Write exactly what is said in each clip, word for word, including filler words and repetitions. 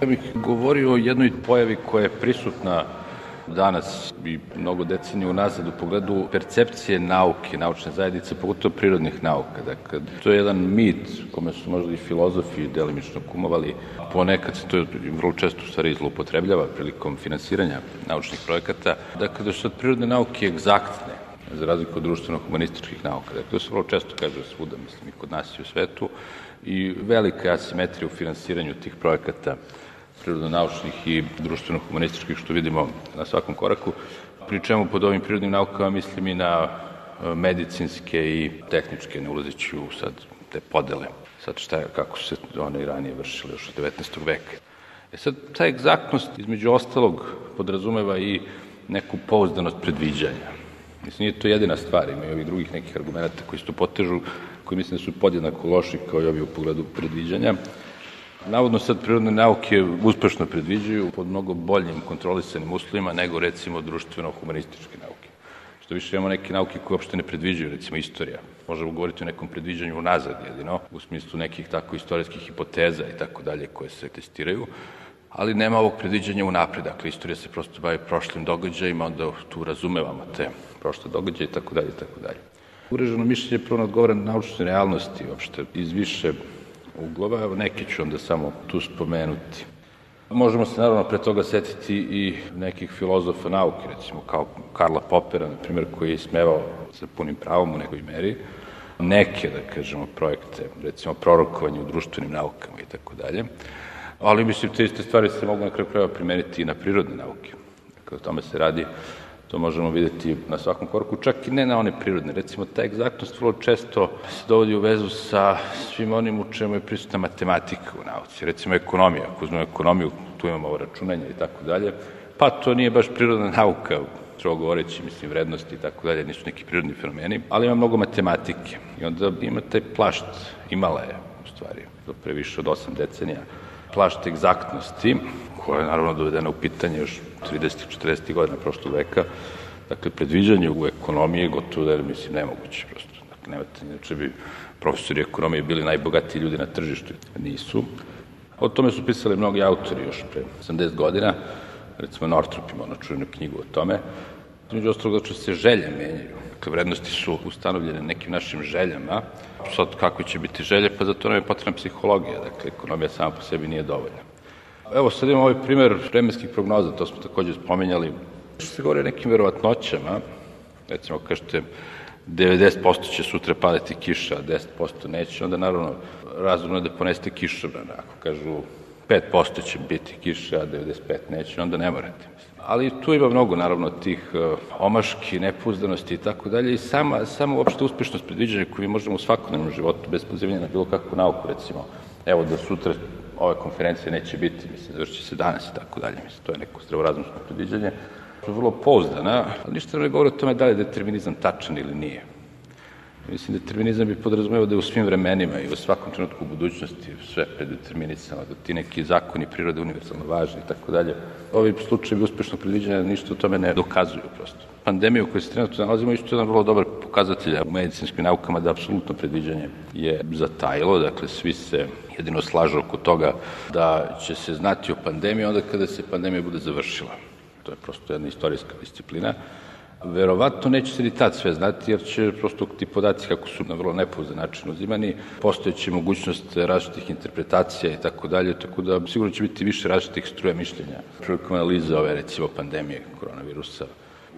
Ja bih govorio o jednoj pojavi koja je prisutna danas i mnogo decenija unazad u pogledu percepcije nauke, naučne zajednice, pogotovo prirodnih nauka. Dakle, to je jedan mit kome su možda i filozofi delimično kumovali. Ponekad se to vrlo često u stvari zloupotrebljava prilikom finansiranja naučnih projekata. Dakle, da su prirodne nauke egzaktne, za razliku od društveno-humanističkih nauka. Dakle, to se vrlo često kaže svuda, mislim, i kod nas i u svetu. I velika je asimetrija u finansiranju tih projekata prirodno-naučnih i društveno-humanističkih, što vidimo na svakom koraku. Pri čemu pod ovim prirodnim naukama mislim i na medicinske i tehničke, ne ulazeći u sad te podele. Sad šta je, kako su se one i ranije vršile još od devetnaestog veka. E sad, ta egzaktnost između ostalog podrazumeva i neku pouzdanost predviđanja. Mislim, nije to jedina stvar, ima i ovih drugih nekih argumenta koji se tu potežu, koji mislim da su podjednako loši kao i ovi u pogledu predviđanja. Navodno sad prirodne nauke uspešno predviđaju pod mnogo boljim kontrolisanim uslovima nego recimo društveno-humanističke nauke. Što više imamo neke nauke koje uopšte ne predviđaju, recimo istorija. Možemo govoriti o nekom predviđanju unazad jedino, u smislu nekih tako istorijskih hipoteza i tako dalje koje se testiraju, ali nema ovog predviđanja unapred. Dakle, istorija se prosto bavi prošlim događajima, onda tu razumevamo te prošle događaje i tako dalje i tako dalje. Uvreženo mišljenje prvo odgovara na naučne realnosti, uopšte iz više uglova, evo neke ću onda samo tu spomenuti. Možemo se naravno pre toga setiti i nekih filozofa nauke, recimo kao Karla Popera, na primjer, koji je ismevao sa punim pravom u nekoj meri neke, da kažemo, projekte, recimo prorokovanje u društvenim naukama i tako dalje. Ali mislim, te iste stvari se mogu na kraju krajeva primeniti i na prirodne nauke. Dakle, o tome se radi. To možemo vidjeti na svakom koraku, čak i ne na one prirodne. Recimo, ta egzaktnost vrlo često se dovodi u vezu sa svim onim u čemu je prisutna matematika u nauci. Recimo, ekonomija. Ako uzmemo ekonomiju, tu imamo ovo računanje i tako dalje. Pa to nije baš prirodna nauka, strogo govoreći, mislim, vrednosti i tako dalje, nisu neki prirodni fenomeni, ali ima mnogo matematike. I onda ima taj plašt, imala je, u stvari, do pre više od osam decenija, plašt egzaktnosti, koja je naravno dovedena u pitanje još tridesetih četrdesetih godina prošlog veka. Dakle, predviđanje u ekonomiji gotovo da je, mislim, nemoguće prosto. Dakle, nemate, inače bi profesori ekonomije bili najbogatiji ljudi na tržištu. Nisu. O tome su pisali mnogi autori još pre osamdeset godina. Recimo, Northrop ima ono čuvenu knjigu o tome. Među ostalog, da se želje menjaju. Dakle, vrednosti su ustanovljene nekim našim željama. Sad, kako će biti želje? Pa zato nam je potrebna psihologija. Dakle, ekonomija sama po sebi nije dovoljna. Evo, sad imamo ovaj primjer vremenskih prognoza, to smo također spomenjali. Što se govori o nekim verovatnoćama, recimo, kažete, devedeset posto će sutra padati kiša, a deset posto neće, onda naravno razumno je da poneste kišobran. Ako kažu pet posto će biti kiša, a devedeset pet posto neće, onda ne morate. Ali tu ima mnogo, naravno, tih omaški, nepouzdanosti i tako dalje i sama, sama uopšte uspešnost predviđanja koju mi možemo u svakodnevnom životu, bez pozivanja na bilo kakvu nauku, recimo, evo da sutra ove konferencije neće biti, mislim, završi se danas i tako dalje, mislim, to je neko zdravorazumsko predviđanje, to je vrlo pouzdana, ali ništa ne govori o tome da li je determinizam tačan ili nije. Mislim, determinizam bi podrazumevao da je u svim vremenima i u svakom trenutku u budućnosti sve predeterminisano, da ti neki zakoni prirode univerzalno važni i tako dalje. Ovi slučajevi uspešnog predviđanja ništa o tome ne dokazuju prosto. Pandemija u kojoj se trenutno nalazimo isto je jedan vrlo dobar pokazatelj u medicinskim naukama da apsolutno predviđanje je zatajilo, dakle svi se jedino slažu oko toga da će se znati o pandemiji onda kada se pandemija bude završila. To je prosto jedna istorijska disciplina. Verovatno neće se ni tad sve znati, jer će prosto ti podaci, kako su na vrlo nepouzdan način uzimani, postojeće mogućnost različitih interpretacija i tako dalje, tako da sigurno će biti više različitih struja mišljenja prilikom analize ove, recimo, pandemije koronavirusa.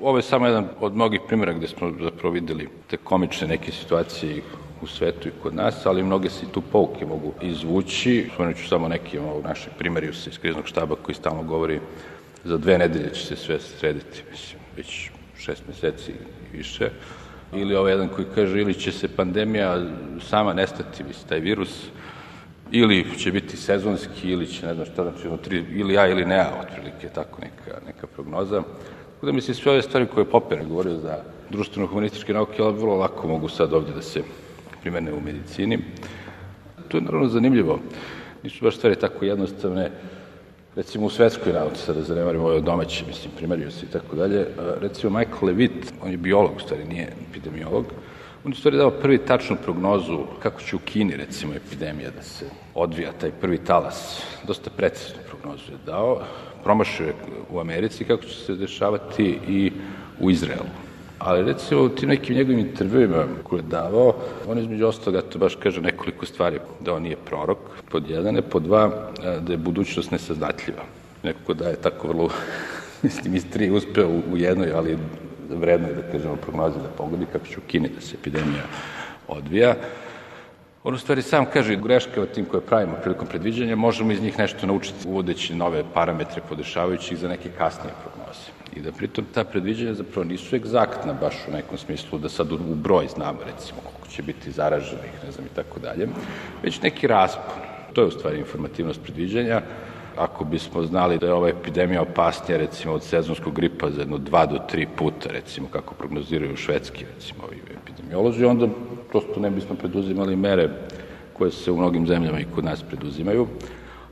Ovo je samo jedan od mnogih primjera gde smo zapravo videli te komične neke situacije u svetu i kod nas, ali mnoge se i tu pouke mogu izvući. Spomenut ću samo neki ovog našeg primerijusa iz kriznog štaba koji stalno govori za dve nedelje će se sve srediti, mislim, već šest meseci i više. Ili ovaj jedan koji kaže ili će se pandemija sama nestati, mislim, taj virus, ili će biti sezonski, ili će, ne znam šta, znači, ili ja ili ne ja, otprilike, tako neka, neka prognoza. Tako da mislim, sve ove stvari koje je Popper govorio za društveno-humanističke nauke, ali vrlo lako mogu sad ovdje da se primene u medicini. To je naravno zanimljivo. Nisu baš stvari tako jednostavne. Recimo u svetskoj nauci, sada zanemarimo ove domaće, mislim, primeriju se i tako dalje. Recimo Michael Levitt, on je biolog, u stvari nije epidemiolog, On je stvari dao prvi tačnu prognozu kako će u Kini, recimo, epidemija da se odvija, taj prvi talas. Dosta preciznu prognozu je dao. Promašio je u Americi kako će se dešavati i u Izraelu. Ali recimo u tim nekim njegovim intervjuima koje je davao, on između ostalog, to baš kaže nekoliko stvari, da on nije prorok, pod jedan, pod dva, da je budućnost nesaznatljiva. Nekako da je tako vrlo, mislim, istrije uspeo u jednoj, ali vredno je da kažemo prognozi da pogodi kako će u Kini da se epidemija odvija. On u stvari sam kaže greške od tim koje pravimo prilikom predviđanja, možemo iz njih nešto naučiti uvodeći nove parametre podešavajući ih za neke kasnije prognoze. I da pritom ta predviđanja zapravo nisu egzaktna baš u nekom smislu da sad u broj znamo recimo koliko će biti zaraženih, ne znam i tako dalje, već neki raspon. To je u stvari informativnost predviđanja. Ako bismo znali da je ova epidemija opasnija recimo od sezonskog gripa za jedno dva do tri puta, recimo kako prognoziraju švedski recimo ovi epidemiolozi, onda prosto ne bismo preduzimali mere koje se u mnogim zemljama i kod nas preduzimaju.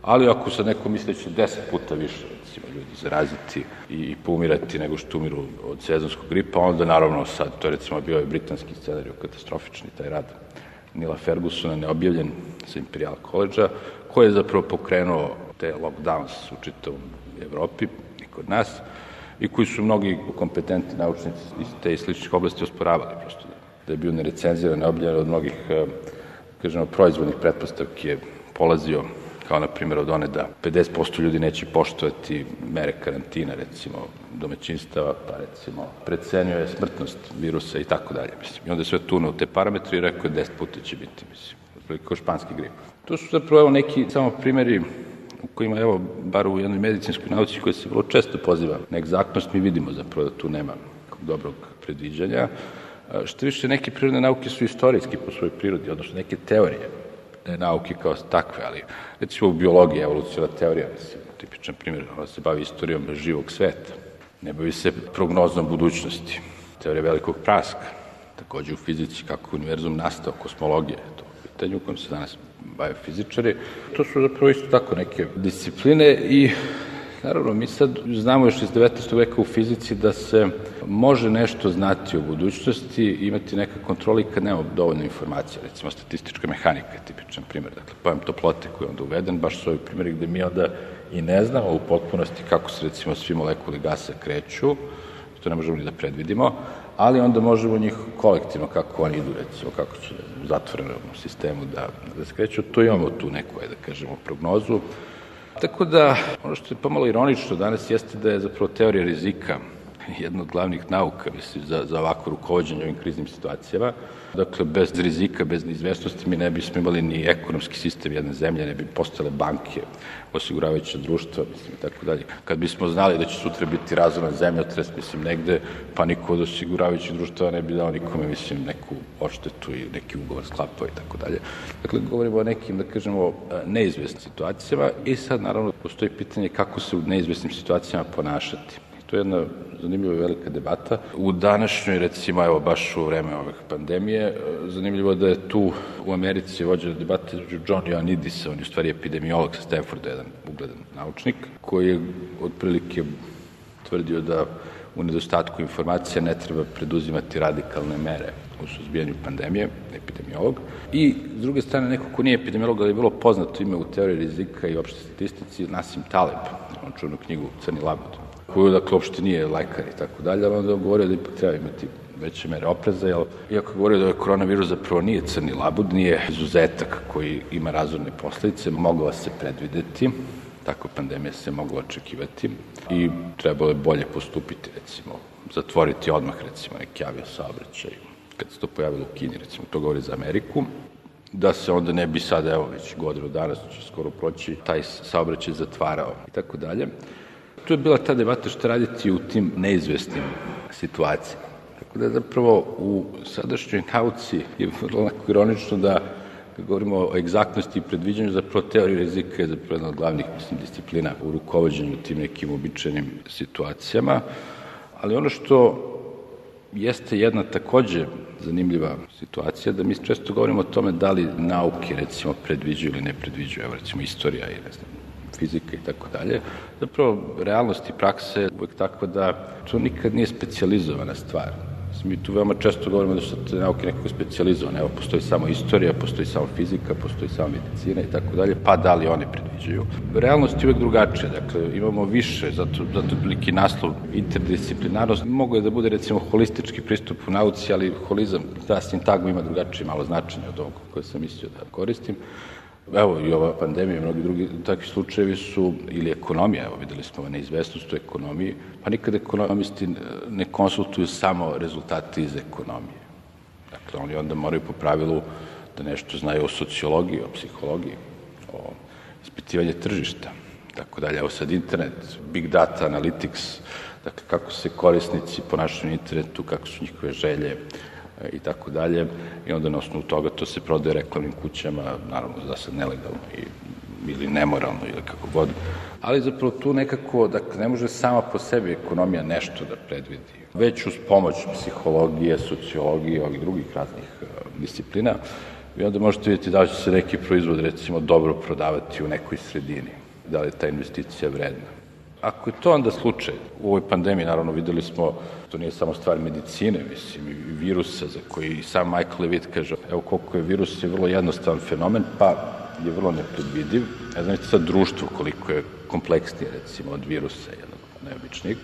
Ali ako sad neko misli da će deset puta više recimo ljudi zaraziti i poumirati nego što umiru od sezonskog gripa, onda naravno sad, to je recimo bio je britanski scenarij katastrofični, taj rad Nila Fergusona, neobjavljen sa Imperial College-a, koji je zapravo pokrenuo te lockdowns u čitavom Evropi i kod nas i koji su mnogi kompetentni naučnici iz te i sličnih oblasti osporavali prosto da je bio nerecenziran, neobjavljen od mnogih, kažemo, proizvodnih pretpostavki je polazio kao na primjer od one da pedeset posto ljudi neće poštovati mere karantina, recimo domaćinstava, pa recimo precenjuje smrtnost virusa i tako dalje, mislim. I onda je sve tunuo te parametre i rekao je deset puta će biti, mislim, otprilike kao španski grip. To su zapravo evo neki samo primjeri u kojima, evo, bar u jednoj medicinskoj nauci koja se vrlo često poziva na egzaktnost, mi vidimo zapravo da tu nema dobrog predviđanja. Što više, neke prirodne nauke su istorijski po svojoj prirodi, odnosno neke teorije nauke kao takve, ali recimo u biologiji, evolucijna teorija, mislim, tipičan primjer, ona se bavi istorijom živog sveta, ne bavi se prognoznom budućnosti. Teorija velikog praska, takođe u fizici, kako je univerzum nastao, kosmologija, to je pitanje u kojem se danas bave fizičari. To su zapravo isto tako neke discipline i naravno mi sad znamo još iz devetnaestog veka u fizici da se može nešto znati o budućnosti i imati neka kontrola i kad nema dovoljno informacija, recimo statistička mehanika je tipičan primjer, dakle pojam toplote koji je onda uveden, baš su ovi primjeri gde mi onda i ne znamo u potpunosti kako se recimo svi molekuli gasa kreću, to ne možemo ni da predvidimo, ali onda možemo njih kolektivno kako oni idu, recimo kako će u zatvorenom sistemu da, da se kreću, to imamo tu neku, da kažemo, prognozu. Tako da, ono što je pomalo ironično danas jeste da je zapravo teorija rizika jedna od glavnih nauka, mislim, za, za ovako rukovođenje ovim kriznim situacijama. Dakle, bez rizika, bez neizvestnosti mi ne bismo imali ni ekonomski sistem jedne zemlje, ne bi postale banke, osiguravajuća društva, mislim, i tako dalje. Kad bismo znali da će sutra biti razoran zemljotres, mislim, negde, pa niko od osiguravajućih društva ne bi dao nikome, mislim, neku odštetu i neki ugovor sklapao i tako dalje. Dakle, govorimo o nekim, da kažemo, neizvestnim situacijama i sad, naravno, postoji pitanje kako se u neizvestnim situacijama ponašati. To je jedna zanimljiva i velika debata. U današnjoj, recimo, evo, baš u vreme ove pandemije, zanimljivo da je tu u Americi vođena debata između John Ioannidisa, on je u stvari epidemiolog sa Stanforda, jedan ugledan naučnik, koji je otprilike tvrdio da u nedostatku informacija ne treba preduzimati radikalne mere u suzbijanju pandemije, epidemiolog. I, s druge strane, neko ko nije epidemiolog, ali je bilo poznato ime u teoriji rizika i opšte statistici, Nassim Taleb, on čuvenu knjigu Crni labud, koju, dakle, uopšte nije lekar i tako dalje, ali onda je govorio da ipak treba imati veće mere opreza, jer iako je govorio da je koronavirus zapravo nije crni labud, nije izuzetak koji ima razorne posledice, mogla se predvideti, tako pandemija se mogla očekivati i trebalo je bolje postupiti, recimo, zatvoriti odmah, recimo, neki aviosaobraćaj, kad se to pojavilo u Kini, recimo, to govori za Ameriku, da se onda ne bi sad, evo, već godinu danas, će skoro proći, taj saobraćaj zatvarao i tako dalje. Tu je bila ta debata što raditi u tim neizvestnim situacijama. Tako da zapravo u sadašnjoj nauci je vrlo onako ironično da, kad govorimo o egzaktnosti i predviđanju, zapravo teorija rizika je zapravo jedna od glavnih, mislim, disciplina u rukovođenju tim nekim običajnim situacijama. Ali ono što jeste jedna takođe zanimljiva situacija, da mi često govorimo o tome da li nauke, recimo, predviđaju ili ne predviđaju, evo, recimo, istorija i, ne znam, fizika i tako dalje. Zapravo, realnost i praksa je uvek takva da to nikad nije specijalizovana stvar. Mi tu veoma često govorimo da su te nauke nekako specijalizovane. Evo, postoji samo istorija, postoji samo fizika, postoji samo medicina i tako dalje, pa da li one predviđaju. Realnost je uvek drugačija, dakle, imamo više, zato, zato veliki naslov interdisciplinarnost. Mogu je da bude, recimo, holistički pristup u nauci, ali holizam, ta sintagma ima drugačije malo značenje od ovog koje sam mislio da koristim. Evo, i ova pandemija i mnogi drugi takvi slučajevi su, ili ekonomija, evo videli smo neizvestnost u ekonomiji, pa nikad ekonomisti ne konsultuju samo rezultate iz ekonomije. Dakle, oni onda moraju po pravilu da nešto znaju o sociologiji, o psihologiji, o ispitivanju tržišta, tako dalje. Evo sad internet, big data, analytics, dakle, kako se korisnici ponašaju na internetu, kako su njihove želje, i tako dalje, i onda na osnovu toga to se prodaje reklamnim kućama, naravno da sad nelegalno i, ili nemoralno ili kako god, ali zapravo tu nekako, dakle, ne može sama po sebi ekonomija nešto da predvidi. Već uz pomoć psihologije, sociologije, ovih drugih raznih uh, disciplina, vi onda možete vidjeti da li će se neki proizvod, recimo, dobro prodavati u nekoj sredini, da li je ta investicija vredna. Ako je to onda slučaj, u ovoj pandemiji, naravno, videli smo, to nije samo stvar medicine, mislim, i virusa, za koji i sam Michael Levitt kaže, evo koliko je virus je vrlo jednostavan fenomen, pa je vrlo nepredvidiv. Ne znam, sad društvo koliko je kompleksnije, recimo, od virusa jednog neobičnih,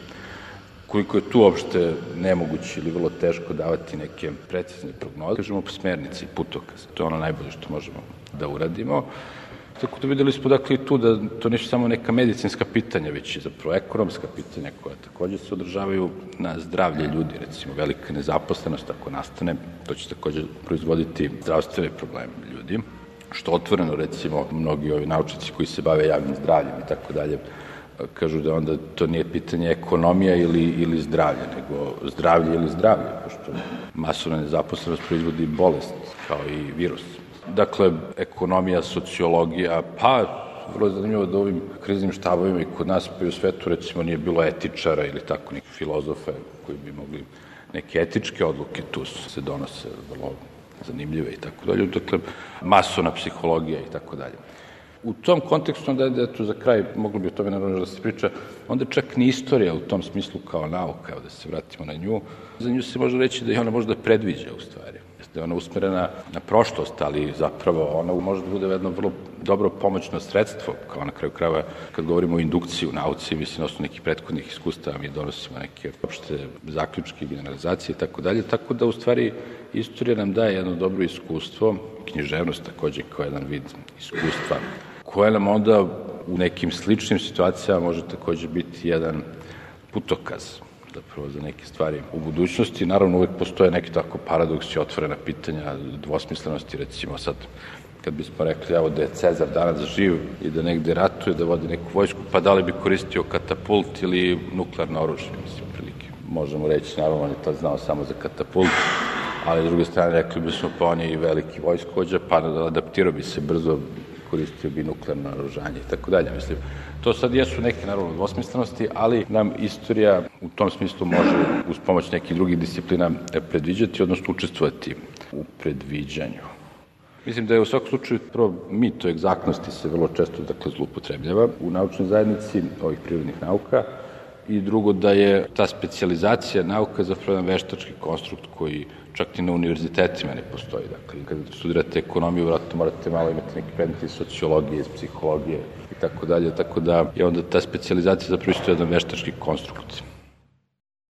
koliko je tu uopšte nemoguće ili vrlo teško davati neke precizne prognoze, kažemo smernice i putokaze. To je ono najbolje što možemo da uradimo. Tako da videli smo, dakle, i tu da to nisu samo neka medicinska pitanja, već i zapravo ekonomska pitanja koja takođe se održavaju na zdravlje ljudi, recimo velika nezaposlenost ako nastane, to će takođe proizvoditi zdravstvene probleme ljudi, što otvoreno, recimo, mnogi ovi naučnici koji se bave javnim zdravljem i tako dalje, kažu da onda to nije pitanje ekonomija ili, ili zdravlja, nego zdravlje ili zdravlje, pošto masovna nezaposlenost proizvodi bolest, kao i virus. Dakle, ekonomija, sociologija, pa vrlo je zanimljivo da ovim kriznim štabovima i kod nas pa i u svetu, recimo, nije bilo etičara ili tako nekih filozofa koji bi mogli neke etičke odluke tu se donose vrlo zanimljive i tako dalje. Dakle, masovna psihologija i tako dalje. U tom kontekstu, onda je tu za kraj, moglo bi o tome naravno da se priča, onda čak ni istorija u tom smislu kao nauka, evo da se vratimo na nju, za nju se može reći da je ona možda predviđa u stvari. Da je ona usmerena na prošlost, ali zapravo ona može da bude jedno vrlo dobro pomoćno sredstvo, kao na kraju krajeva kad govorimo o indukciji u nauci, mislim na osnovu nekih prethodnih iskustava mi donosimo neke opšte zaključke, generalizacije i tako dalje, tako da u stvari istorija nam daje jedno dobro iskustvo, književnost takođe kao jedan vid iskustva, koje nam onda u nekim sličnim situacijama može takođe biti jedan putokaz zapravo za neke stvari u budućnosti. Naravno, uvek postoje neki tako paradoksi, otvorena pitanja, dvosmislenosti, recimo sad, kad bismo rekli, evo da je Cezar danas živ i da negde ratuje, da vodi neku vojsku, pa da li bi koristio katapult ili nuklearno oružje, mislim, prilike. Možemo reći, naravno, on je to znao samo za katapult, ali s druge strane rekli bismo, pa on je i veliki vojskovođa, pa adaptirao bi se brzo, koristio bi nuklearno naoružanje i tako dalje, mislim. To sad jesu neke, naravno, dvosmislenosti, ali nam istorija u tom smislu može uz pomoć nekih drugih disciplina predviđati, odnosno učestvovati u predviđanju. Mislim da je u svakom slučaju prvo mit o egzaktnosti se vrlo često dakle, zloupotrebljava u naučnoj zajednici ovih prirodnih nauka i drugo da je ta specijalizacija nauka zapravo jedan veštački konstrukt koji čak i na univerzitetima ne postoji. Dakle, kada studirate ekonomiju, vratno morate malo imati neki predmet iz sociologije, iz psihologije i tako dalje, tako da je onda ta specijalizacija zapravo isto jedan veštački konstrukt.